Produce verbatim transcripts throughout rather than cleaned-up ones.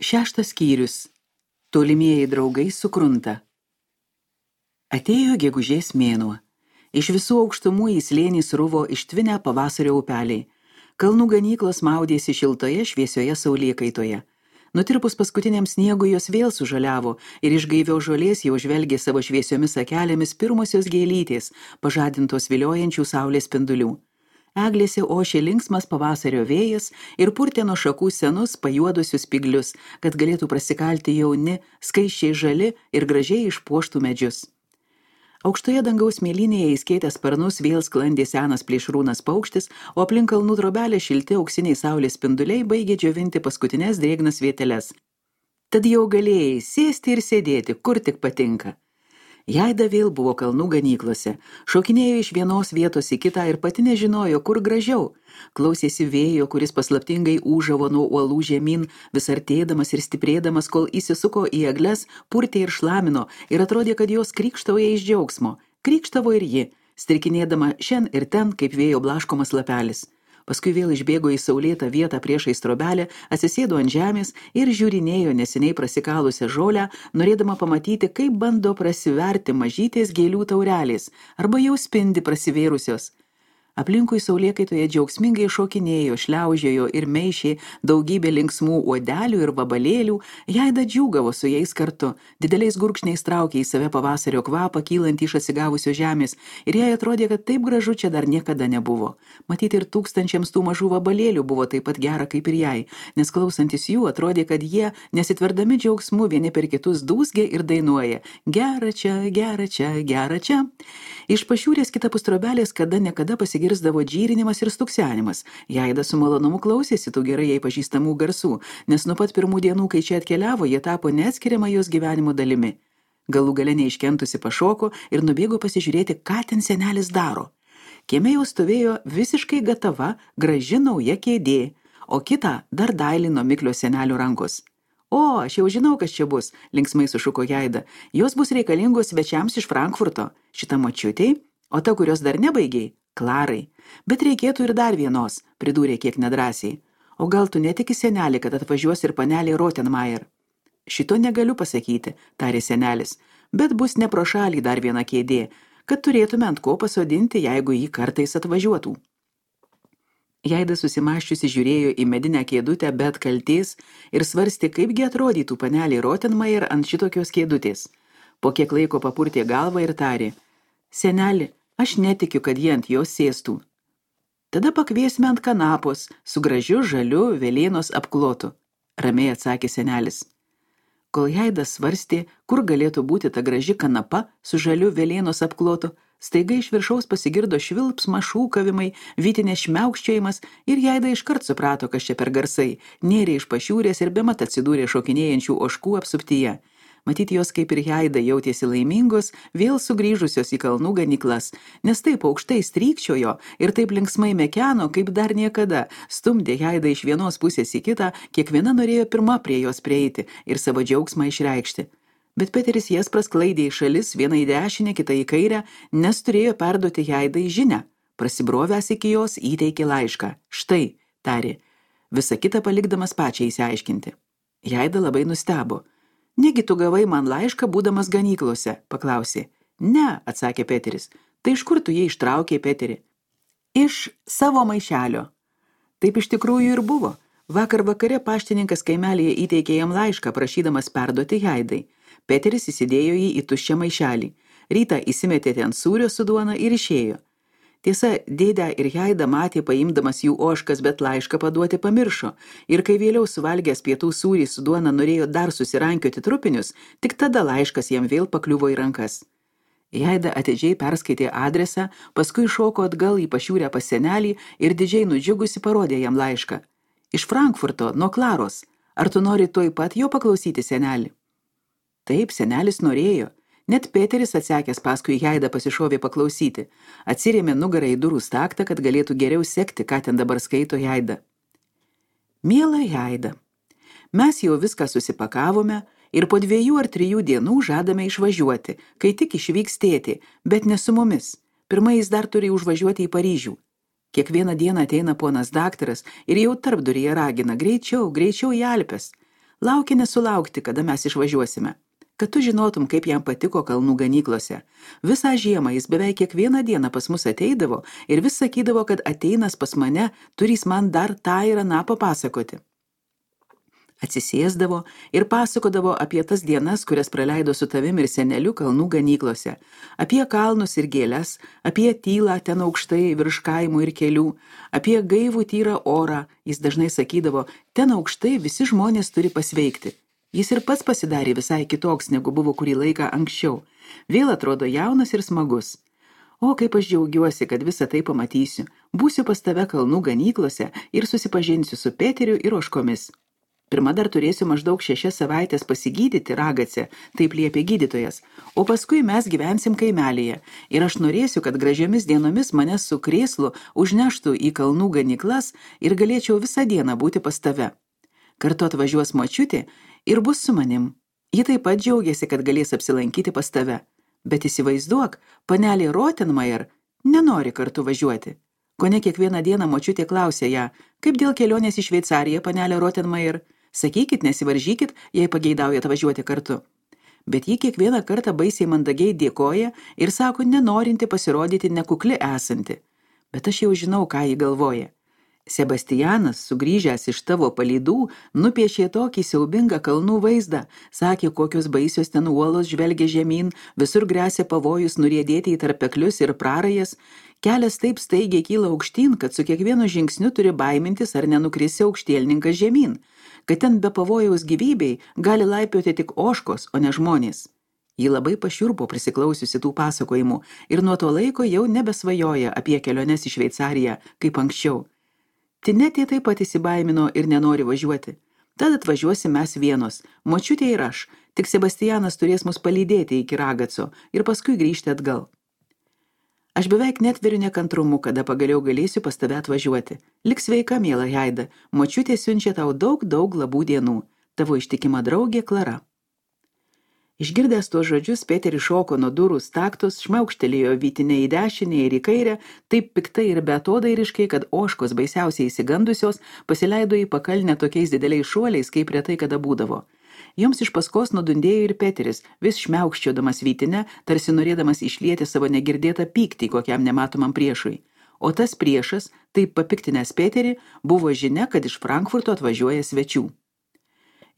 Šeštas skyrius. Tolimieji draugai sukrunta. Atėjo gegužės mėnuo. Iš visų aukštumų į slėnį sruvo ištvinę pavasario upeliai. Kalnų ganyklos maudėsi šiltoje šviesioje saulėkaitoje. Nutirpus paskutiniam sniegui jos vėl sužaliavo ir iš gaivios žolės jau žvelgė savo šviesiomis akelėmis pirmosios gėlytės, pažadintos viliojančių saulės spindulių. Eglėse ošė linksmas pavasario vėjas ir purtė nuo šakų senus pajuodusius spiglius, kad galėtų prasikalti jauni, skaisčiai žali ir gražiai išpuoštų medžius. Aukštoje dangaus mėlynėje įskėtęs sparnus vėl sklandė senas plėšrūnas paukštis, o aplink kalnų trobelę šilti auksiniai saulės spinduliai baigė džiovinti paskutines drėgnas vieteles. Tad jau galėjai sėsti ir sėdėti, kur tik patinka. Jaida vėl buvo kalnų ganyklose, šokinėjo iš vienos vietos į kitą ir pati nežinojo, kur gražiau. Klausėsi vėjo, kuris paslaptingai ūžavo nuo uolų žemyn, vis artėdamas ir stiprėdamas, kol įsisuko į egles, purtė ir šlamino ir atrodė, kad jos krykštauja iš džiaugsmo. Krykštavo ir ji, strikinėdama šen ir ten, kaip vėjo blaškomas lapelis. Paskui vėl išbėgo į saulėtą vietą priešais trobelę, atsisėdo ant žemės ir žiūrinėjo neseniai prasikalusią žolę, norėdama pamatyti, kaip bando prasiverti mažytės gėlių taurelės, arba jau spindi prasivėrusios. Aplinkui saulėkaitoje džiaugsmingai šokinėjo, šliaužiojo ir meišė daugybė linksmų uodelių ir vabalėlių, Jaida džiūgavo su jais kartu, dideliais gurkšniais traukė į save pavasario kvapą, kylant iš atsigavusio žemės, ir jai atrodė, kad taip gražu čia dar niekada nebuvo. Matyti ir tūkstančiams tų mažų vabalėlių buvo taip pat gera kaip ir jai, nes klausantis jų atrodė, kad jie, nesitverdami džiaugsmu, vieni per kitus dūzgia ir dainuoja: gera čia, gera čia, gera čia. Iš pašiūrės kitapus trobelės kada nekada pasigirsdavo džyrinimas ir stuksenimas. Jaida su malonumu klausėsi tų gerai jai pažįstamų garsų, nes nuo pat pirmų dienų, kai čia atkeliavo, jie tapo neatskiriama jos gyvenimo dalimi. Galų gale neiškentusi pašoko ir nubėgo pasižiūrėti, ką ten senelis daro. Kieme jau stovėjo visiškai gatava, graži nauja kėdė, o kitą dar dailino miklio senelio rankos. O, aš jau žinau, kas čia bus, linksmai sušuko Jaida. Jos bus reikalingos svečiams iš Frankfurto. Šita močiutei, o ta, kurios dar nebaigiai, Klarai. Bet reikėtų ir dar vienos, pridūrė kiek nedrąsiai. O gal tu netiki, senelį, kad atvažiuos ir panelė Rottenmeier? Šito negaliu pasakyti, tarė senelis, bet bus ne pro šalį dar viena kėdė, kad turėtume ant ko pasodinti, jeigu jį kartais atvažiuotų. Jaida susimąščiusi žiūrėjo į medinę kėdutę be atkaltės ir svarstė, kaipgi atrodytų panelė Rottenmeier ant šitokios kėdutės. Po kiek laiko papurtė galvą ir tarė: seneli, aš netikiu, kad jie ant jos sėstų. Tada pakviesime ant kanapos, su gražiu žaliu velėnos apklotu, ramiai atsakė senelis. Kol Jaida svarstė, kur galėtų būti ta graži kanapa su žaliu velėnos apklotu, staiga iš viršaus pasigirdo švilpsma, šūkavimai, vytinės šmiaukščiojimas ir Jaida iškart suprato, kas čia per garsai, nėrė iš pašiūrės ir bemat atsidūrė šokinėjančių ožkų apsuptyje. Matyti jos kaip ir Jaida jautėsi laimingos, vėl sugrįžusios į kalnų ganyklas, nes taip aukštai strykčiojo ir taip linksmai mekeno, kaip dar niekada, stumdė Jaidą iš vienos pusės į kitą, kiekviena norėjo pirma prie jos prieiti ir savo džiaugsmą išreikšti. Bet Peteris jas prasklaidė į šalis, vieną į dešinę, kitą į kairę, nes turėjo perduoti Jaidai žinią. Prasibrovęs iki jos įteikė laišką. Štai, tarė, visą kitą palikdamas pačiai įsiaiškinti. Jaida labai nustebo. Negi tu gavai man laišką, būdamas ganyklose, paklausė. Ne, atsakė Peteris. Tai iš kur tu jį ištraukė, Peteri? Iš savo maišelio. Taip iš tikrųjų ir buvo. Vakar vakare paštininkas kaimelėje įteikė jam laišką, prašydamas perduoti Jaidai. Peteris įsidėjo jį į tuščią maišelį. Rytą įsimetė ten sūrio su duona ir išėjo. Tiesa, dėdę ir Jaida matė paimdamas jų ožkas, bet laišką paduoti pamiršo. Ir kai vėliau suvalgęs pietų sūrį su duona norėjo dar susirankioti trupinius, tik tada laiškas jam vėl pakliuvo į rankas. Jaida atidžiai perskaitė adresą, paskui šoko atgal į pašiūrę pas senelį ir didžiai nudžiugusi parodė jam laišką. Iš Frankfurto, nuo Klaros. Ar tu nori tuoj pat jo paklausyti, senelį? Taip, senelis norėjo. Net Peteris atsekęs paskui Jaidą pasišovė paklausyti. Atsirėmė nugarą į durų staktą, kad galėtų geriau sekti, ką ten dabar skaito Jaida. Miela Jaida, mes jau viską susipakavome ir po dviejų ar trijų dienų žadame išvažiuoti, kai tik išvyks tėtė, bet ne su mumis. Pirmai jis dar turi užvažiuoti į Paryžių. Kiekvieną dieną ateina ponas daktaras ir jau tarpduryje ragina greičiau, greičiau į Alpes. Laukia nesulaukti, kada mes išvažiuosime. Kad tu žinotum, kaip jam patiko kalnų ganyklose. Visą žiemą jis beveik kiekvieną dieną pas mus ateidavo ir vis sakydavo, kad ateinas pas mane, turys man dar tą ir aną papasakoti. Atsisėsdavo ir pasakodavo apie tas dienas, kurias praleido su tavim ir seneliu kalnų ganyklose, apie kalnus ir gėles, apie tylą ten aukštai virš kaimų ir kelių, apie gaivų tyrą orą. Jis dažnai sakydavo, ten aukštai visi žmonės turi pasveikti. Jis ir pats pasidarė visai kitoks, negu buvo kurį laiką anksčiau. Vėl atrodo jaunas ir smagus. O kaip aš džiaugiuosi, kad visą tai pamatysiu. Būsiu pas tave kalnų ganyklose ir susipažinsiu su Peteriu ir ožkomis. Pirma dar turėsiu maždaug šešias savaitės pasigydyti ragace, taip liepė gydytojas, o paskui mes gyvensim kaimelyje ir aš norėsiu, kad gražiomis dienomis mane su krėslu užneštų į kalnų ganyklas ir galėčiau visą dieną būti pas tave. Kartu atvažiuos močiutė ir bus su manim. Ji taip pat džiaugiasi, kad galės apsilankyti pas tave. Bet įsivaizduok, panelė Rottenmeier nenori kartu važiuoti. Kone kiekvieną dieną močiutė klausė ją, kaip dėl kelionės į Šveicariją, panelė Rottenmeier. Sakykit, nesivaržykit, jei pageidaujat važiuoti kartu. Bet ji kiekvieną kartą baisiai mandagiai dėkoja ir sako, nenorinti pasirodyti nekukli esanti. Bet aš jau žinau, ką ji galvoja. Sebastianas, sugrįžęs iš tavo palydų, nupiešė tokį siaubingą kalnų vaizdą, sakė, kokios baisios ten uolos žvelgia žemyn, visur gresia pavojus nuriedėti į tarpeklius ir prarajas, kelias taip staigiai kyla aukštyn, kad su kiekvienu žingsniu turi baimintis ar nenukrisi aukštielninkas žemyn, kad ten be pavojaus gyvybei gali laipioti tik ožkos, o ne žmonės. Ji labai pašiurpo prisiklausiusi tų pasakojimų ir nuo to laiko jau nebesvajoja apie keliones į Šveicariją, kaip anksčiau. Tinetė taip pat įsibaimino ir nenori važiuoti. Tad atvažiuosim mes vienos, močiutė ir aš, tik Sebastianas turės mus palydėti iki Ragaco ir paskui grįžti atgal. Aš beveik netveriu nekantrumu, kada pagaliau galėsiu pas tave atvažiuoti. Lik sveika, miela Haida, močiutė siunčia tau daug, daug labų dienų. Tavo ištikima draugė Klara. Išgirdęs tuos žodžius, Peteris šoko nuo durų staktos, šmaukštelėjo vytinę į dešinę ir į kairę, taip piktai ir beatodairiškai, kad ožkos baisiausiai įsigandusios pasileido į pakalnę tokiais dideliais šuoliais, kaip retai kada būdavo. Joms iš paskos nudundėjo ir Peteris, vis šmiaukščiodamas vytinę, tarsi norėdamas išlieti savo negirdėtą pyktį kokiam nematomam priešui. O tas priešas, taip papiktinęs Peterį, buvo žinia, kad iš Frankfurto atvažiuoja svečių.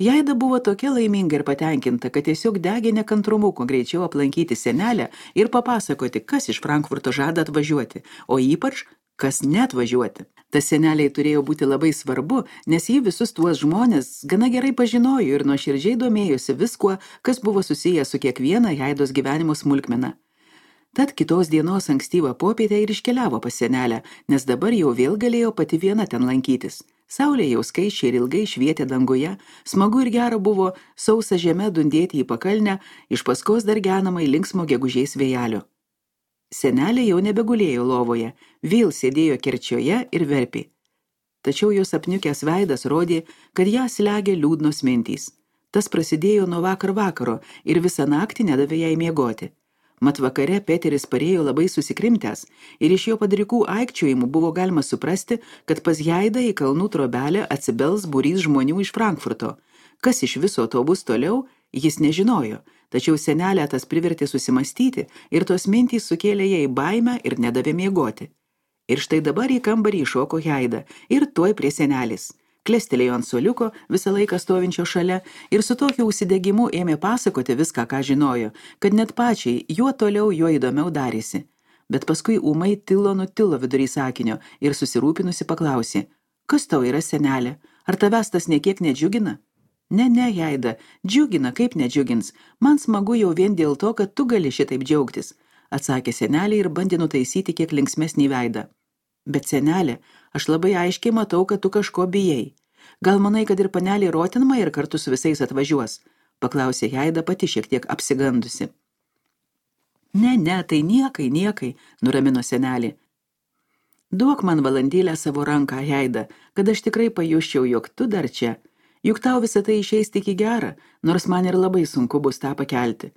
Jaida buvo tokia laiminga ir patenkinta, kad tiesiog degė nekantrumu, kuo greičiau aplankyti senelę ir papasakoti, kas iš Frankfurto žada atvažiuoti, o ypač, kas neatvažiuoti. Tas seneliai turėjo būti labai svarbu, nes jį visus tuos žmonės gana gerai pažinojo ir nuoširdžiai domėjosi viskuo, kas buvo susiję su kiekviena Jaidos gyvenimo smulkmena. Tad kitos dienos ankstyvą popietę ir iškeliavo pas senelę, nes dabar jau vėl galėjo pati viena ten lankytis. Saulė jau skaičiai ir ilgai švietė danguje, smagu ir gera buvo sausa žeme dundėti į pakalnę, iš paskos dar genamai linksmo gegužės vėjelio. Senelė jau nebegulėjo lovoje, vėl sėdėjo kerčioje ir verpė. Tačiau jos apniukęs veidas rodė, kad ją slegia liūdnos mintys. Tas prasidėjo nuo vakar vakaro ir visą naktį nedavė jai miegoti. Mat vakare Peteris parėjo labai susikrimtęs ir iš jo padrikų aikčiojimų buvo galima suprasti, kad pas Jaidą į kalnų trobelę atsibels būrys žmonių iš Frankfurto. Kas iš viso to bus toliau, jis nežinojo, tačiau senelę tas privertė susimastyti ir tos mintys sukėlė jai baimę ir nedavė miegoti. Ir štai dabar į kambarį iššoko Jaida ir tuoj prie senelės. Klestelėjo ant suoliuko, visą laiką stovinčio šalia, ir su tokiu užsidegimu ėmė pasakoti viską, ką žinojo, kad net pačiai juo toliau, juo įdomiau darėsi. Bet paskui ūmai tilo nutilo vidury sakinio ir susirūpinusi paklausė, kas tau yra senelė, ar tavęs tas niekiek nedžiugina? Ne, ne, Jaida, džiugina, kaip nedžiugins, man smagu jau vien dėl to, kad tu gali šitaip džiaugtis, atsakė senelė ir bandė nutaisyti kiek linksmesnį veidą. Bet senelė, aš labai aiškiai matau, kad tu kažko bijai. Gal manai, kad ir panelė Rottenmeier kartu su visais atvažiuos? Paklausė Jaida pati šiek tiek apsigandusi. Ne, ne, tai niekai, niekai, nuramino senelė. Duok man valandėlę savo ranką, Jaida, kad aš tikrai pajusčiau, jog tu dar čia. Juk tau visą tai išeis tik į gerą, nors man ir labai sunku bus tą pakelti.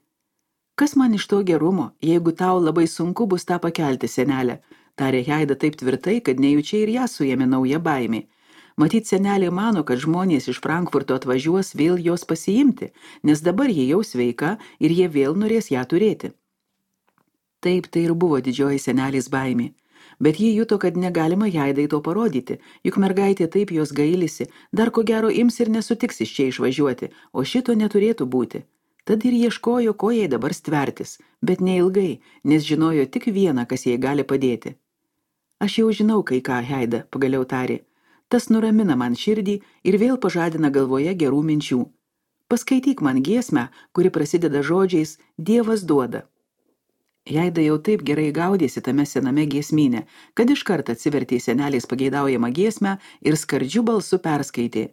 Kas man iš to gerumo, jeigu tau labai sunku bus tą pakelti, senelė? Tarė Jaida taip tvirtai, kad nejučiai ir ją suėmė nauja baimė. Matyt, senelė mano, kad žmonės iš Frankfurto atvažiuos vėl jos pasiimti, nes dabar jie jau sveika ir jie vėl norės ją turėti. Taip, tai ir buvo didžioji senelės baimė. Bet ji juto, kad negalima Jaidai to parodyti, juk mergaitė taip jos gailisi, dar ko gero ims ir nesutiks iš čia išvažiuoti, o šito neturėtų būti. Tad ir ieškojo, ko jai dabar stvertis, bet neilgai, nes žinojo tik vieną, kas jai gali padėti. Aš jau žinau, kai ką, Jaida, pagaliau tarė. Tas nuramina man širdį ir vėl pažadina galvoje gerų minčių. Paskaityk man giesmę, kuri prasideda žodžiais Dievas duoda. Jaida jau taip gerai gaudėsi tame sename giesmyne, kad iškart atsivertė senelės pageidaujamą giesmę ir skardžiu balsu perskaitė.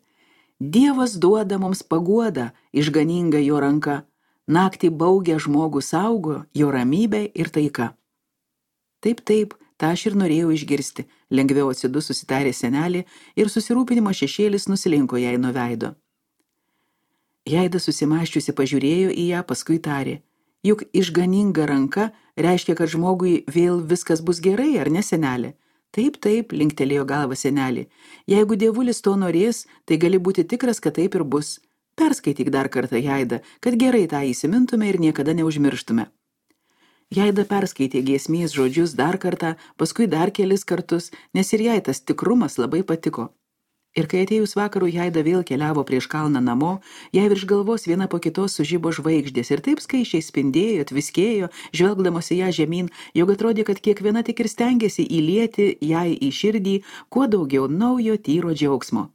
Dievas duoda mums paguodą, išganinga jo ranka, naktį baugę žmogų saugo, jo ramybė ir taika. Taip, taip, tą aš ir norėjau išgirsti, lengviau atsidus susitarė senelė ir susirūpinimo šešėlis nusilinko jai nuo veido. Jaida susimaščiusi pažiūrėjo į ją, paskui tarė. Juk išganinga ranka reiškia, kad žmogui vėl viskas bus gerai, ar ne, senelė? Taip, taip, linktelėjo galva senelė. Jeigu dievulis to norės, tai gali būti tikras, kad taip ir bus. Perskaityk dar kartą, Jaida, kad gerai tą įsimintume ir niekada neužmirštume. Jaida perskaitė giesmės žodžius dar kartą, paskui dar kelis kartus, nes ir jai tas tikrumas labai patiko. Ir kai atėjus vakarų Jaida vėl keliavo prieš kalną namo, jai virš galvos viena po kitos sužibo žvaigždės ir taip skaičiai spindėjo, tviskėjo, žvelgdamos į ją žemyn, jog atrodė, kad kiekviena tik ir stengiasi įlieti jai į širdį kuo daugiau naujo tyro džiaugsmo.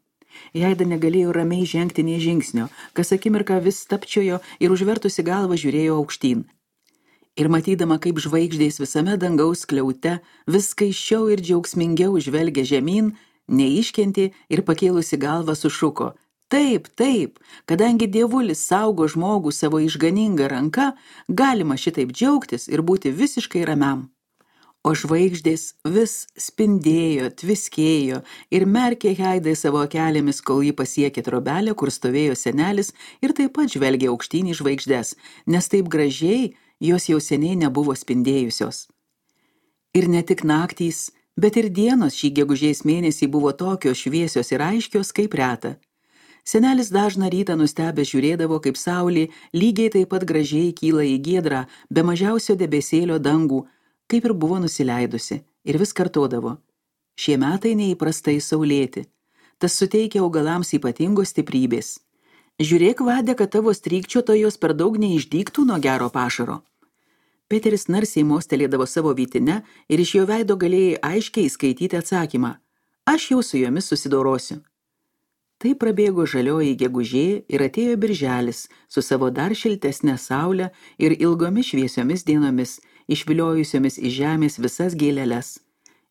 Jaida negalėjo ramiai žengti nė žingsnio, kas akimirką vis stapčiojo ir užvertusi galvą žiūrėjo aukštyn. Ir matydama, kaip žvaigždės visame dangaus skliaute vis skaisčiau ir džiaugsmingiau žvelgia žemyn, neiškentė ir pakėlusi galvą sušuko. Taip, taip, kadangi dievulis saugo žmogų savo išganingą ranką, galima šitaip džiaugtis ir būti visiškai ramiam. O žvaigždės vis spindėjo, tviskėjo ir merkė Jaidai savo akelėmis, kol ji pasiekė trobelę, kur stovėjo senelis ir taip pat žvelgė aukštyn į žvaigždes, nes taip gražiai jos jau seniai nebuvo spindėjusios. Ir ne tik naktys, bet ir dienos šį gegužės mėnesį buvo tokios šviesios ir aiškios kaip reta. Senelis dažną rytą nustebęs žiūrėdavo, kaip saulė lygiai taip pat gražiai kyla į giedrą, be mažiausio debesėlio dangų, kaip ir buvo nusileidusi, ir vis kartodavo. Šie metai neįprastai saulėti. Tas suteikia augalams ypatingos stiprybės. Žiūrėk, Vade, kad tavo strykčiotojos per daug neišdygtų nuo gero pašaro. Peteris narsiai mostelėdavo savo vytine ir iš jo veido galėjai aiškiai skaityti atsakymą. Aš jau su jomis susidorosiu. Tai prabėgo žalioji gegužė ir atėjo birželis su savo dar šiltesnė saulė ir ilgomis šviesiomis dienomis, išviliojusiomis iš žemės visas gėleles.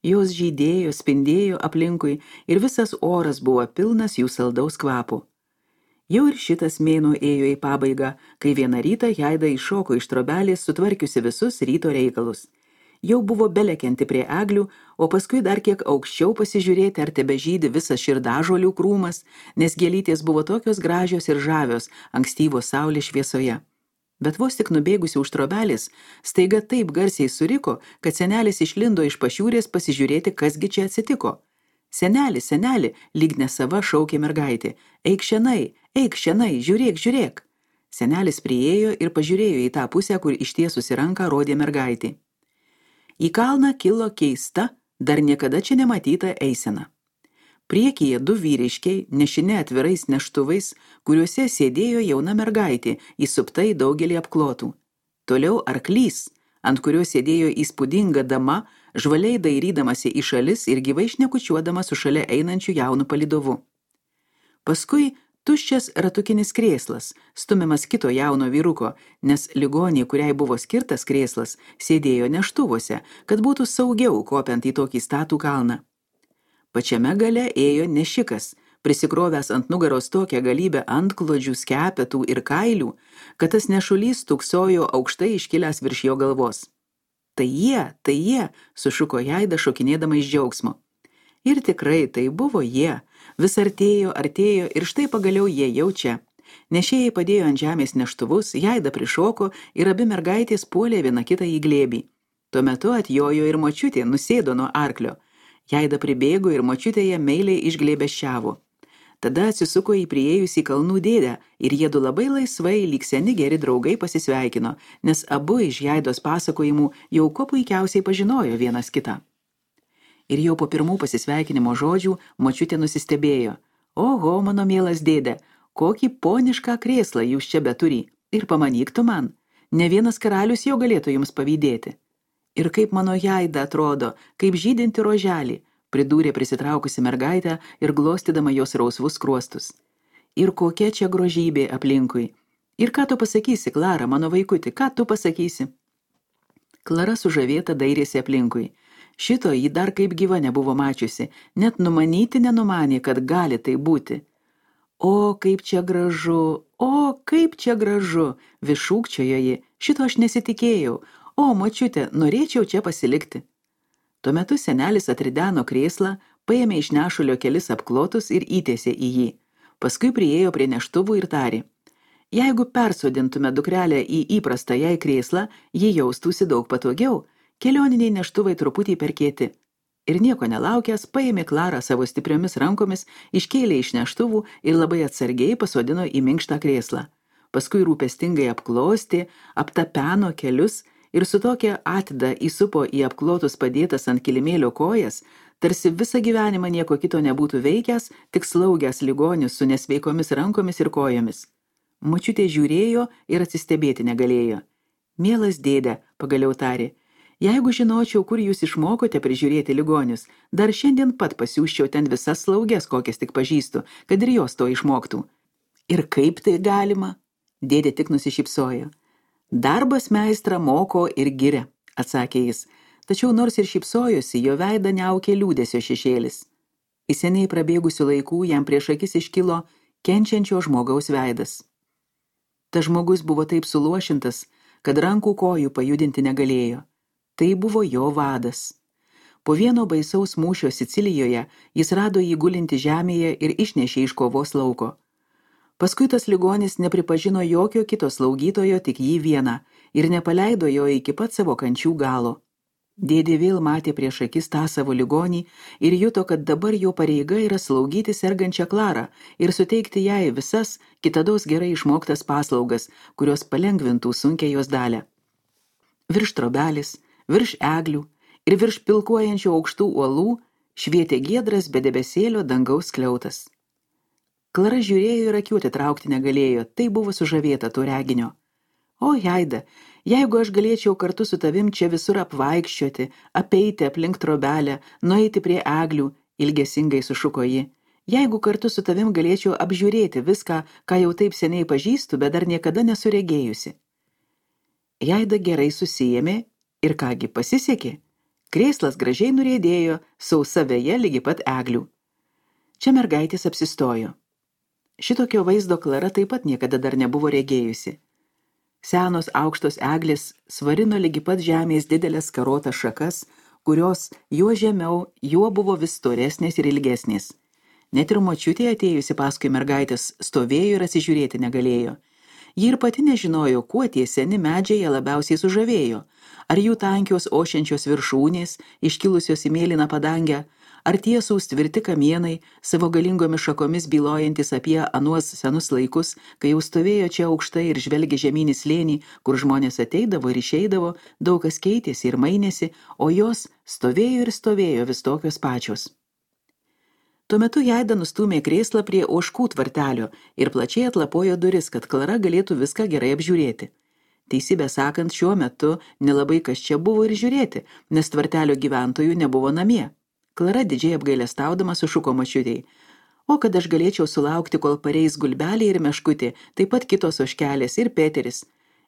Jos žydėjo, spindėjo aplinkui ir visas oras buvo pilnas jų saldaus kvapo. Jau ir šitas mėnuo ėjo į pabaigą, kai vieną rytą Jaida iššoko iš trobelės, sutvarkiusi visus ryto reikalus. Jau buvo belekianti prie eglių, o paskui dar kiek aukščiau pasižiūrėti, ar tebežydi visas širdažolių krūmas, nes gėlytės buvo tokios gražios ir žavios ankstyvos saulės šviesoje. Bet vos tik nubėgusi už trobelės, staiga taip garsiai suriko, kad senelis išlindo iš pašiūrės pasižiūrėti, kasgi čia atsitiko. Seneli, seneli, lyg nesava šaukė mergaitė. Eik šianai, eik šianai, žiūrėk, žiūrėk. Senelis priėjo ir pažiūrėjo į tą pusę, kur ištiesusi ranką rodė mergaitė. Į kalną kilo keista, dar niekada čia nematyta eisena. Priekyje du vyriškiai, nešine atvirais neštuvais, kuriuose sėdėjo jauna mergaitė, įsupta į daugelį apklotų. Toliau arklys, ant kurio sėdėjo įspūdinga dama, žvaliai dairydamasi į šalis ir gyvai šnekučiuodama su šalia einančiu jaunu palydovu. Paskui tuščias ratukinis krėslas, stumiamas kito jauno vyruko, nes ligonė, kuriai buvo skirtas krėslas, sėdėjo neštuvose, kad būtų saugiau kopiant į tokį statų kalną. Pačiame gale ėjo nešikas, prisikrovęs ant nugaros tokią galybę antklodžių, skepetų ir kailių, kad tas nešulys tuksojo aukštai iškilęs virš jo galvos. Tai jie, tai jie, sušuko Jaida šokinėdama iš džiaugsmo. Ir tikrai tai buvo jie, vis artėjo, artėjo ir štai pagaliau jie jau čia. Nešėjai padėjo ant žemės neštuvus, Jaida prišoko ir abi mergaitės puolė viena kitą į glėbį. Tuo metu atjojo ir močiutė, nusėdo nuo arklio. Jaida pribėgo ir močiutė ją meiliai išglėbesčiavo. Tada atsisuko į priėjusį kalnų dėdę ir jiedu labai laisvai, lyg seni geri draugai, pasisveikino, nes abu iš Jaidos pasakojimų jau kuo puikiausiai pažinojo vienas kitą. Ir jau po pirmų pasisveikinimo žodžių močiutė nusistebėjo. Oho, mano mielas dėdė, kokį ponišką krėslą jūs čia beturi. Ir pamanyk tu man, ne vienas karalius jau galėtų jums pavydėti. Ir kaip mano Jaida atrodo, kaip žydinti roželį, pridūrė prisitraukusi mergaitę ir glostydama jos rausvus skruostus. Ir kokia čia grožybė aplinkui. Ir ką tu pasakysi, Klara, mano vaikuti, ką tu pasakysi? Klara sužavėta dairėsi aplinkui. Šito ji dar kaip gyva nebuvo mačiusi, net numanyti nenumanė, kad gali tai būti. O, kaip čia gražu, o, kaip čia gražu, vis šūkčiojo ji, šito aš nesitikėjau, o, močiute, norėčiau čia pasilikti. Tuo metu senelis atrideno krėslą, paėmė iš nešulio kelis apklotus ir įtiesė į jį. Paskui priėjo prie neštuvų ir tarė. Jeigu persodintume dukrelę į įprastą jai krėslą, ji jaustųsi daug patogiau, kelioniniai neštuvai truputį per kieti. Ir nieko nelaukęs, paėmė Klarą savo stipriomis rankomis, iškėlė iš neštuvų ir labai atsargiai pasodino į minkštą krėslą. Paskui rūpestingai apklostė, aptapeno kelius ir su tokia atida įsupo į apklotus padėtas ant kilimėlio kojas, tarsi visą gyvenimą nieko kito nebūtų veikęs, tik slaugęs ligonius su nesveikomis rankomis ir kojomis. Močiutė žiūrėjo ir atsistebėti negalėjo. Mielas dėde, pagaliau tarė, jeigu žinočiau, kur jūs išmokote prižiūrėti ligonius, dar šiandien pat pasiųsčiau ten visas slaugės, kokias tik pažįstu, kad ir jos to išmoktų. Ir kaip tai galima? Dėdė tik nusišypsojo. Darbas meistrą moko ir giria, atsakė jis, tačiau nors ir šypsojosi, jo veidą neaukė liūdesio šešėlis. Į seniai prabėgusių laikų jam prieš akis iškilo kenčiančio žmogaus veidas. Tas žmogus buvo taip suluošintas, kad rankų kojų pajudinti negalėjo. Tai buvo jo vadas. Po vieno baisaus mūšio Sicilijoje jis rado jį gulinti žemėje ir išnešė iš kovos lauko. Paskui tas ligonis nepripažino jokio kito slaugytojo, tik jį vieną, ir nepaleido jo iki pat savo kančių galo. Dėdė vėl matė prieš akis tą savo ligonį ir juto, kad dabar jo pareiga yra slaugyti sergančią Klarą ir suteikti jai visas kitados gerai išmoktas paslaugas, kurios palengvintų sunkią jos dalę. Virš trobelis, virš eglių ir virš pilkuojančių aukštų uolų švietė giedras be debesėlio dangaus skliautas. Klara žiūrėjo ir akių atitraukti negalėjo, tai buvo sužavėta to reginio. O, Jaida, jeigu aš galėčiau kartu su tavim čia visur apvaikščioti, apeiti aplink trobelę, nueiti prie eglių, ilgesingai sušuko ji. Jeigu kartu su tavim galėčiau apžiūrėti viską, ką jau taip seniai pažįstu, bet dar niekada nesuregėjusi. Jaida gerai susijėmė ir kągi pasisekė. Krėslas gražiai nuriedėjo, sausa veja lygi pat eglių. Čia mergaitės apsistojo. Šitokio vaizdo Klara taip pat niekada dar nebuvo regėjusi. Senos aukštos eglės svarino lygi pat žemės didelės karotas šakas, kurios juo žemiau, juo buvo vis storesnės ir ilgesnės. Net ir močiutė atėjusi paskui mergaitės stovėjo ir atsižiūrėti negalėjo. Ji ir pati nežinojo, kuo tie seni medžiai ją labiausiai sužavėjo. Ar jų tankios ošiančios viršūnės, iškilusios į mėlyną padangę, ar tiesūs tvirti kamienai, savo galingomis šakomis bylojantis apie anuos senus laikus, kai jau stovėjo čia aukštai ir žvelgė žemynį slėnį, kur žmonės ateidavo ir išeidavo, daug kas keitėsi ir mainėsi, o jos stovėjo ir stovėjo vis tokios pačios. Tuo metu Jaida nustūmė krėslą prie ožkų tvartelio ir plačiai atlapojo duris, kad Klara galėtų viską gerai apžiūrėti. Teisybę sakant, šiuo metu nelabai kas čia buvo ir žiūrėti, nes tvartelio gyventojų nebuvo namie. Klara didžiai apgailestaudama sušuko močiutei. O kad aš galėčiau sulaukti, kol pareis Gulbelė ir Meškutė, taip pat kitos ožkelės ir Peteris.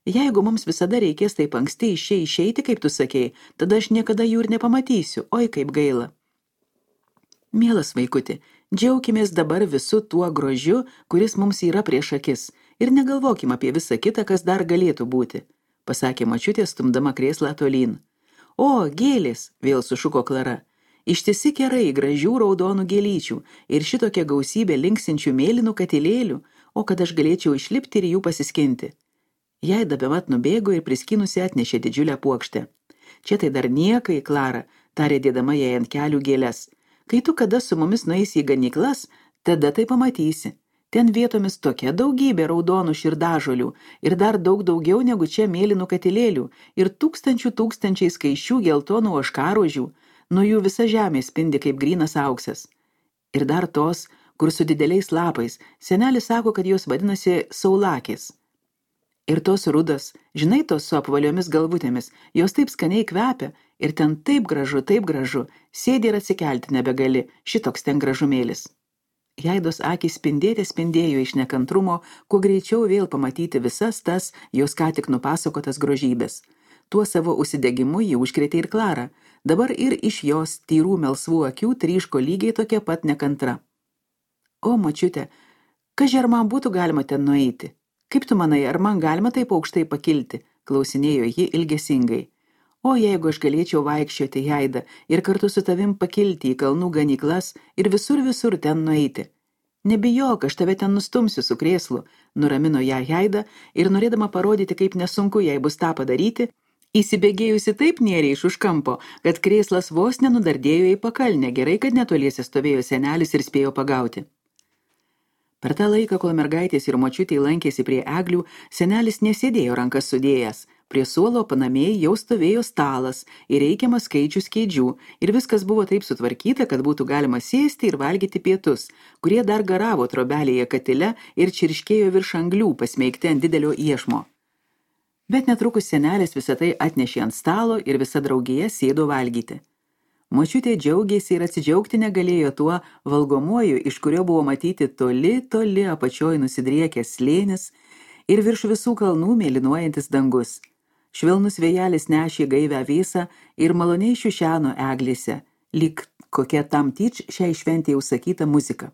Jeigu mums visada reikės taip anksti iš čia išeiti, kaip tu sakei, tada aš niekada jų ir nepamatysiu, oi kaip gaila. Mielas vaikuti, džiaukimės dabar visu tuo grožiu, kuris mums yra prieš akis, ir negalvokim apie visą kitą, kas dar galėtų būti, pasakė močiutė, stumdama krėslą tolyn. O, gėlės, vėl sušuko Klara. Ištisi kerai gražių raudonų gėlyčių ir šitokia gausybė linksinčių mėlynų katilėlių, o kad aš galėčiau išlipti ir jų pasiskinti. Jaida bemat nubėgo ir priskinusi atnešė didžiulę puokštę. Čia tai dar niekai, Klara, tarė dėdama jai ant kelių gėles. Kai tu kada su mumis nueisi į ganyklas, tada tai pamatysi. Ten vietomis tokia daugybė raudonų širdažolių ir dar daug daugiau negu čia mėlynų katilėlių ir tūkstančių tūkstančiai skaičių geltonų ožkarožių, nuo jų visa žemė spindi kaip grynas auksas. Ir dar tos, kur su dideliais lapais, senelis sako, kad jos vadinasi saulakės. Ir tos rudas, žinai, tos su apvaliomis galvutėmis, jos taip skaniai kvepia ir ten taip gražu, taip gražu, sėdi ir atsikelti nebegali, šitoks ten gražumėlis. Jaidos akys spindėte spindėjo iš nekantrumo, kuo greičiau vėl pamatyti visas tas jos ką tik nupasakotas grožybės. Tuo savo užsidegimu jį užkrėtė ir Klara, dabar ir iš jos tyrų melsvų akių tryško lygiai tokia pat nekantra. O, močiute, kaži ar man būtų galima ten nueiti? Kaip tu manai, ar man galima taip aukštai pakilti? Klausinėjo ji ilgesingai. O jeigu aš galėčiau vaikščioti, Jaida, ir kartu su tavim pakilti į kalnų ganyklas ir visur visur ten nueiti. Nebijok, aš tave ten nustumsiu su krėslu, nuramino ją Jaida ir norėdama parodyti, kaip nesunku jai bus tą padaryti, įsibėgėjusi taip nėriai iš už kampo, kad krėslas vos nenudardėjo į pakalnę, gerai, kad netoliese stovėjo senelis ir spėjo pagauti. Per tą laiką, kol mergaitės ir močiutė lankėsi prie eglių, senelis nesėdėjo rankas sudėjęs. Prie suolo panamėj jau stovėjo stalas ir reikiamas skaičius kėdžių ir viskas buvo taip sutvarkyta, kad būtų galima sėsti ir valgyti pietus, kurie dar garavo trobelėje katile ir čirškėjo virš anglių pasmeigti ant didelio iešmo. Bet netrukus senelis visą tai atnešė ant stalo ir visa draugija sėdo valgyti. Močiutė džiaugėsi ir atsidžiaugti negalėjo tuo valgomuoju, iš kurio buvo matyti toli, toli apačioj nusidriekęs slėnis ir virš visų kalnų mėlynuojantis dangus. Švelnus vėjelis nešė gaivę vėsą ir maloniai šiušeno eglėse, lyg kokia tam tyč šiai šventėje užsakyta muzika.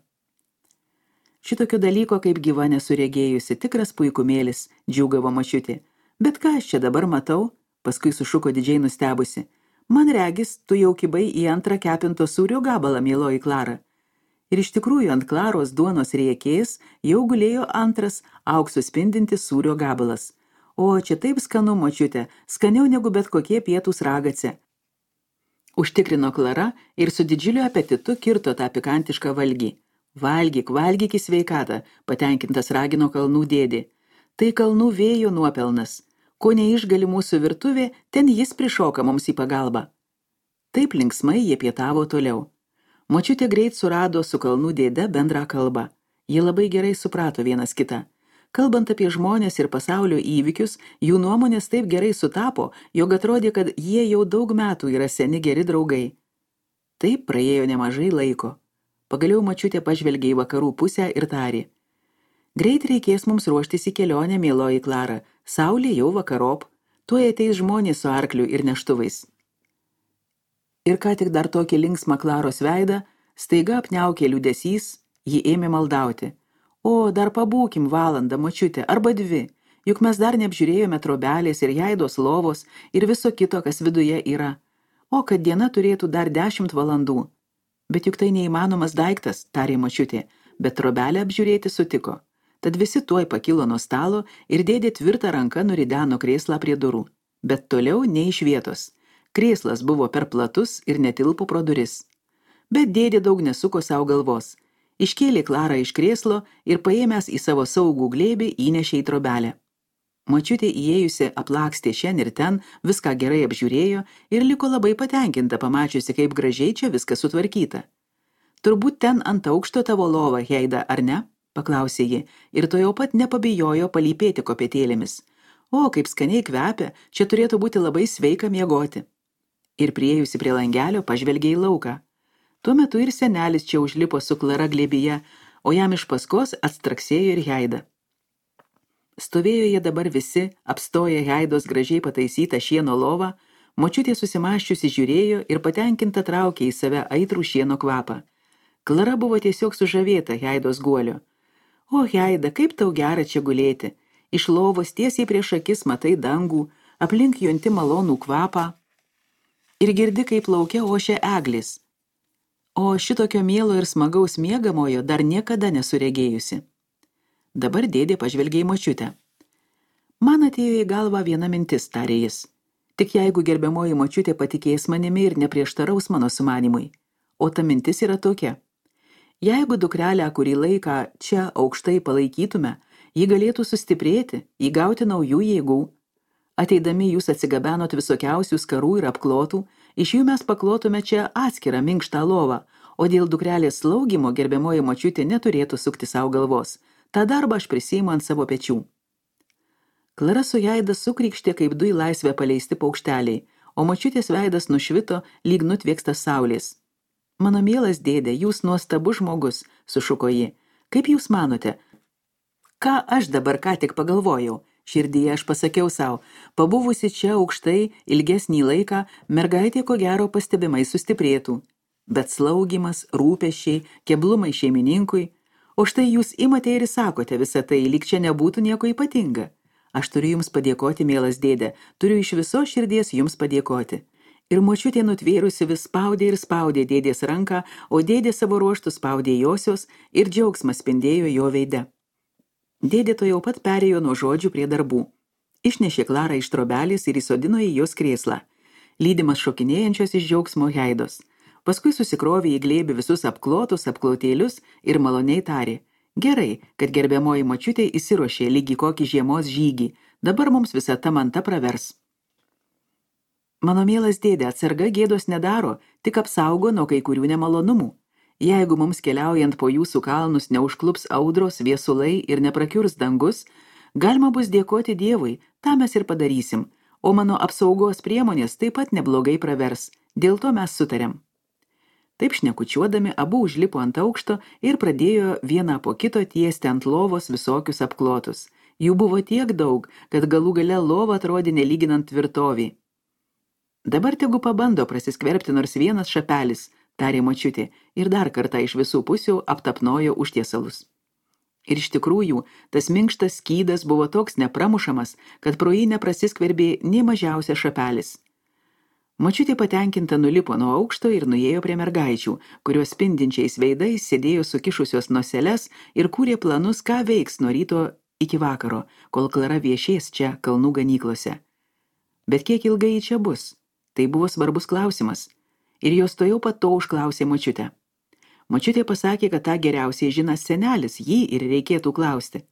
Šitokio dalyko kaip gyva nesuregėjusi, tikras puikumėlis, džiūgavo močiutė. Bet ką aš čia dabar matau? Paskui sušuko didžiai nustebusi. Man regis, tu jau kibai į antrą kepinto sūrio gabalą, mieloji Klara. Ir iš tikrųjų ant Klaros duonos riekės jau gulėjo antras auksu spindintis sūrio gabalas. O, čia taip skanu, močiute, skaniau negu bet kokie pietūs ragace. Užtikrino Klara ir su didžiuliu apetitu kirto tą pikantišką valgį. Valgyk, valgyk į sveikatą, patenkintas ragino kalnų dėdė. Tai kalnų vėjo nuopelnas. Ko neišgali mūsų virtuvė, ten jis prišoka mums į pagalbą. Taip linksmai jie pietavo toliau. Močiutė greit surado su kalnų dėde bendrą kalbą. Jie labai gerai suprato vienas kitą. Kalbant apie žmonės ir pasaulio įvykius, jų nuomonės taip gerai sutapo, jog atrodė, kad jie jau daug metų yra seni geri draugai. Taip praėjo nemažai laiko. Pagaliau močiutė pažvelgė į vakarų pusę ir tarė. Greit reikės mums ruoštis į kelionę, mieloji Klara. Saulė jau vakarop, tuoj ateis žmonės su arkliu ir neštuvais. Ir ką tik dar tokį linksmą Klaros veidą, staiga apniaukė liūdesys, ji ėmė maldauti. O, dar pabūkim valandą, močiutė, arba dvi, juk mes dar neapžiūrėjome trobelės ir Jaidos lovos ir viso kito, kas viduje yra. O, kad diena turėtų dar dešimt valandų. Bet juk tai neįmanomas daiktas, tarė močiutė, bet trobelę apžiūrėti sutiko. Tad visi tuoj pakilo nuo stalo ir dėdė tvirtą ranką nurideno krėslą prie durų. Bet toliau ne iš vietos. Krėslas buvo per platus ir netilpo pro duris. Bet dėdė daug nesuko savo galvos. Iškėlė Klarą iš krėslo ir paėmęs į savo saugų glėbį įnešė į trobelę. Močiutė įėjusi aplakstė šen ir ten, viską gerai apžiūrėjo ir liko labai patenkinta, pamačiusi, kaip gražiai čia viskas sutvarkyta. Turbūt ten ant aukšto tavo lova, Jaida, ar ne? Paklausė ji ir to jau pat nepabijojo palypėti kopėtėlėmis. O, kaip skaniai kvepia, čia turėtų būti labai sveika miegoti. Ir priėjusi prie langelio pažvelgė į lauką. Tuo metu ir senelis čia užlipo su Klara glėbyje, o jam iš paskos atstraksėjo ir Jaida. Stovėjo jie dabar visi, apstoję Jaidos gražiai pataisytą šieno lovą, močiutė susimąsčiusi žiūrėjo ir patenkinta traukė į save aitrų šieno kvapą. Klara buvo tiesiog sužavėta Jaidos guolio. O, Jaida, kaip tau gera čia gulėti. Iš lovos tiesiai prieš akis matai dangų, aplink junti malonų kvapą ir girdi, kaip lauke ošia eglis. O šitokio mielo ir smagaus miegamojo dar niekada nesuregėjusi. Dabar dėdė pažvelgė į močiutę. Man atėjo į galvą viena mintis, tarė jis. Tik jeigu gerbiamoji močiutė patikės manimi ir neprieštaraus mano sumanimui. O ta mintis yra tokia. Jeigu dukrelę kurį laiką čia aukštai palaikytume, ji galėtų sustiprėti, įgauti naujų jėgų. Ateidami jūs atsigabenot visokiausių skarų ir apklotų, iš jų mes paklotume čia atskirą minkštą lovą, o dėl dukrelės slaugimo gerbiamoji močiutė neturėtų sukti savo galvos. Ta darbą aš prisiimu ant savo pečių. Klara su Jaida sukrykštė kaip du į laisvę paleisti paukšteliai, o močiutės veidas nušvito lyg nutvėkstas saulės. Mano mielas dėdė, jūs nuostabus žmogus, sušuko ji. Kaip jūs manote? Ką aš dabar ką tik pagalvojau? Širdyje aš pasakiau savo, pabuvusi čia aukštai ilgesnį laiką, mergaitė ko gero pastebimai sustiprėtų. Bet slaugimas, rūpesčiai, keblumai šeimininkui, o štai jūs imate ir sakote visą tai, lyg čia nebūtų nieko ypatinga. Aš turiu jums padėkoti, mielas dėdė, turiu iš viso širdies jums padėkoti. Ir močiutė nutvėrusi vis spaudė ir spaudė dėdės ranką, o dėdė savo ruoštų spaudė josios ir džiaugsmas spindėjo jo veide. Dėdė to jau pat perėjo nuo žodžių prie darbų. Išnešė Klarą iš trobelės ir įsodino į jos krėslą, lydimas šokinėjančios iš džiaugsmo Jaidos. Paskui susikrovė į glėbį visus apklotus, apklotėlius ir maloniai tarė. Gerai, kad gerbiamoji močiutė įsiruošė lygi kokį žiemos žygį, dabar mums visa ta manta pravers. Mano mielas dėdė, atsarga gėdos nedaro, tik apsaugo nuo kai kurių nemalonumų. Jeigu mums keliaujant po jūsų kalnus neužklups audros, viesulai ir neprakiurs dangus, galima bus dėkoti Dievui, tą mes ir padarysim, o mano apsaugos priemonės taip pat neblogai pravers, dėl to mes sutarėm. Taip šnekučiuodami, abu užlipo ant aukšto ir pradėjo vieną po kito tiesti ant lovos visokius apklotus. Jų buvo tiek daug, kad galų gale lova atrodė nelyginant tvirtovį. Dabar tegu pabando prasiskverbti nors vienas šapelis, tarė močiutė, ir dar kartą iš visų pusių aptapnojo užtiesalus. Ir iš tikrųjų, tas minkštas skydas buvo toks nepramušamas, kad pro jį neprasiskverbė nė mažiausias šapelis. Močiutė patenkinta nulipo nuo aukšto ir nuėjo prie mergaičių, kurios spindinčiais veidais sėdėjo sukišusios noseles ir kūrė planus, ką veiks nuo ryto iki vakaro, kol Klara viešės čia kalnų ganyklose. Bet kiek ilgai ji čia bus? Tai buvo svarbus klausimas. Ir jos to jau pat to užklausė močiutę. Močiutė pasakė, kad tą geriausiai žinas senelis, jį ir reikėtų klausti.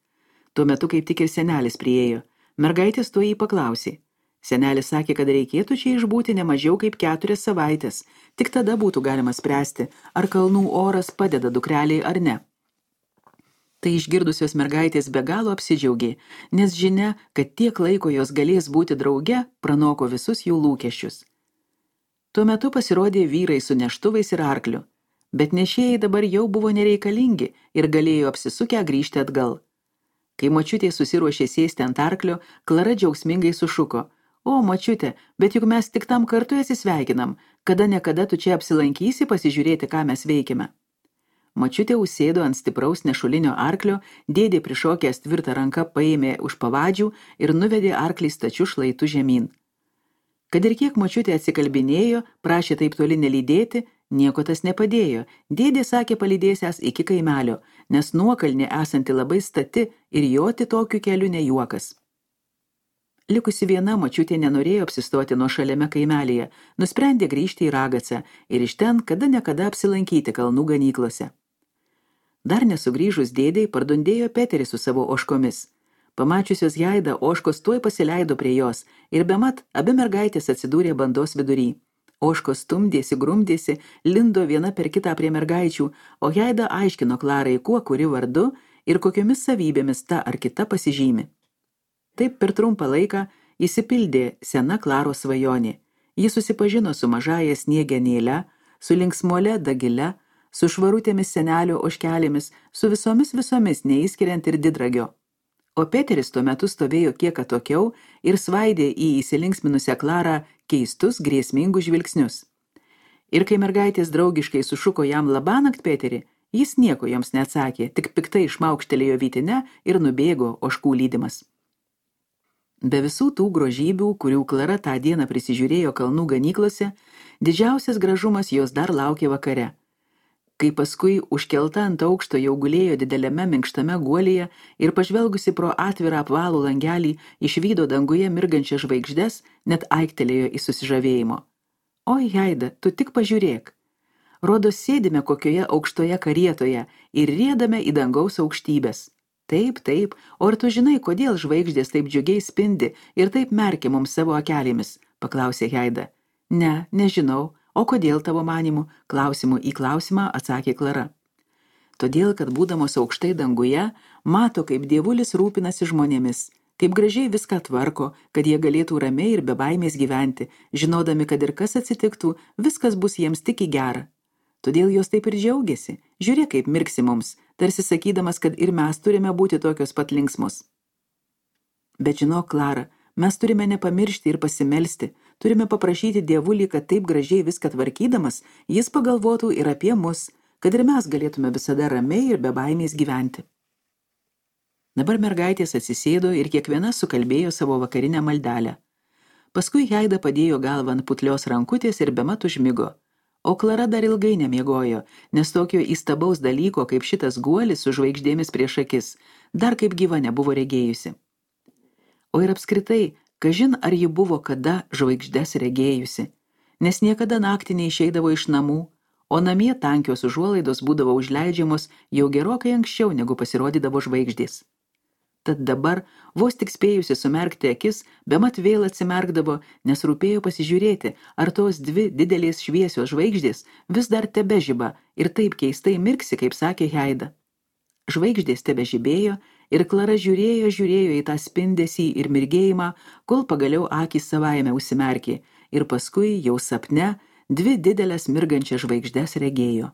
Tuo metu kaip tik ir senelis priėjo. Mergaitės to jį paklausė. Senelis sakė, kad reikėtų čia išbūti ne mažiau kaip keturias savaitės, tik tada būtų galima spręsti, ar kalnų oras padeda dukreliai ar ne. Tai išgirdusios mergaitės be galo apsidžiaugė, nes žinia, kad tiek laiko jos galės būti drauge, pranoko visus jų lūkesčius. Tuo metu pasirodė vyrai su neštuvais ir arkliu, bet nešėjai dabar jau buvo nereikalingi ir galėjo apsisukę grįžti atgal. Kai močiutė susiruošė sėsti ant arklio, Klara džiaugsmingai sušuko. O, močiutė, bet juk mes tik tam kartu atsisveikinam, kada nekada tu čia apsilankysi pasižiūrėti, ką mes veikime. Močiutė užsėdo ant stipraus nešulinio arklio, dėdė prišokęs tvirtą ranką paėmė už pavadžių ir nuvedė arklį stačiu šlaitu žemyn. Kad ir kiek močiutė atsikalbinėjo, prašė taip toli nelydėti, nieko tas nepadėjo. Dėdė sakė palydėsiąs iki kaimelio, nes nuokalnė esanti labai stati ir joti tokiu keliu ne juokas. Likusi viena močiutė nenorėjo apsistoti nuo šaliame kaimelyje, nusprendė grįžti į Ragacą ir iš ten kada nekada apsilankyti kalnų ganyklose. Dar nesugrįžus dėdei pardundėjo Peteris su savo ožkomis. Pamačiusios Jaidą, ožkos tuoj pasileido prie jos ir bemat abi mergaitės atsidūrė bandos vidury. Ožkos stumdėsi, grumdėsi, lindo viena per kitą prie mergaičių, o Jaida aiškino Klarai, kuo kuri vardu ir kokiomis savybėmis ta ar kita pasižymi. Taip per trumpą laiką įsipildė sena Klaros svajonė. Ji susipažino su mažąja sniegenėle, su linksmuole Dagile, su švarutėmis senelio ožkelėmis, su visomis visomis neįskiriant ir didragio. O Peteris tuo metu stovėjo kiek atokiau ir svaidė į įsilinksminusią Klarą keistus, grėsmingus žvilgsnius. Ir kai mergaitės draugiškai sušuko jam labanakt Peterį, jis nieko joms neatsakė, tik piktai išmaukštelėjo vytinę ir nubėgo ožkų lydimas. Be visų tų grožybių, kurių Klara tą dieną prisižiūrėjo kalnų ganyklose, didžiausias gražumas jos dar laukė vakare. Kai paskui užkelta ant aukšto jau gulėjo dideliame minkštame guolyje ir pažvelgusi pro atvirą apvalų langelį išvydo danguje mirgančią žvaigždes, net aiktelėjo į susižavėjimo. Oi, Haida, tu tik pažiūrėk. Rodos sėdime kokioje aukštoje karietoje ir riedame į dangaus aukštybės. Taip, taip, o ar tu žinai, kodėl žvaigždės taip džiugiai spindi ir taip merkia mums savo akelėmis, paklausė Haida. Ne, nežinau. O kodėl tavo manimų? Klausimų į klausimą atsakė Klara. Todėl, kad būdamos aukštai danguje, mato, kaip dievulis rūpinasi žmonėmis, kaip gražiai viską tvarko, kad jie galėtų ramiai ir be baimės gyventi, žinodami, kad ir kas atsitiktų, viskas bus jiems tik į gerą. Todėl jos taip ir džiaugiasi. Žiūrėk, kaip mirksi mums, tarsi sakydamas, kad ir mes turime būti tokios pat linksmos. Bet žinok, Klara, mes turime nepamiršti ir pasimelsti, turime paprašyti dievulį, kad taip gražiai viską tvarkydamas, jis pagalvotų ir apie mus, kad ir mes galėtume visada ramiai ir be baimės gyventi. Dabar mergaitės atsisėdo ir kiekviena sukalbėjo savo vakarinę maldelę. Paskui Haida padėjo galvą ant putlios rankutės ir bemat užmigo. O Klara dar ilgai nemiegojo, nes tokio įstabaus dalyko, kaip šitas guolis su žvaigždėmis prieš akis, dar kaip gyva nebuvo regėjusi. O ir apskritai, kažin ar ji buvo kada žvaigždes regėjusi, nes niekada naktį neišeidavo iš namų, o namie tankios užuolaidos būdavo užleidžiamos jau gerokai anksčiau, negu pasirodydavo žvaigždės. Tad dabar, vos tik spėjusi sumerkti akis, bemat vėl atsimerkdavo, nes rūpėjo pasižiūrėti, ar tos dvi didelės šviesios žvaigždės vis dar tebežiba ir taip keistai mirksi, kaip sakė Haida. Žvaigždės tebežibėjo ir Klara žiūrėjo, žiūrėjo į tą spindesį ir mirgėjimą, kol pagaliau akys savaime užsimerkė ir paskui jau sapne dvi didelės mirgančias žvaigždes regėjo.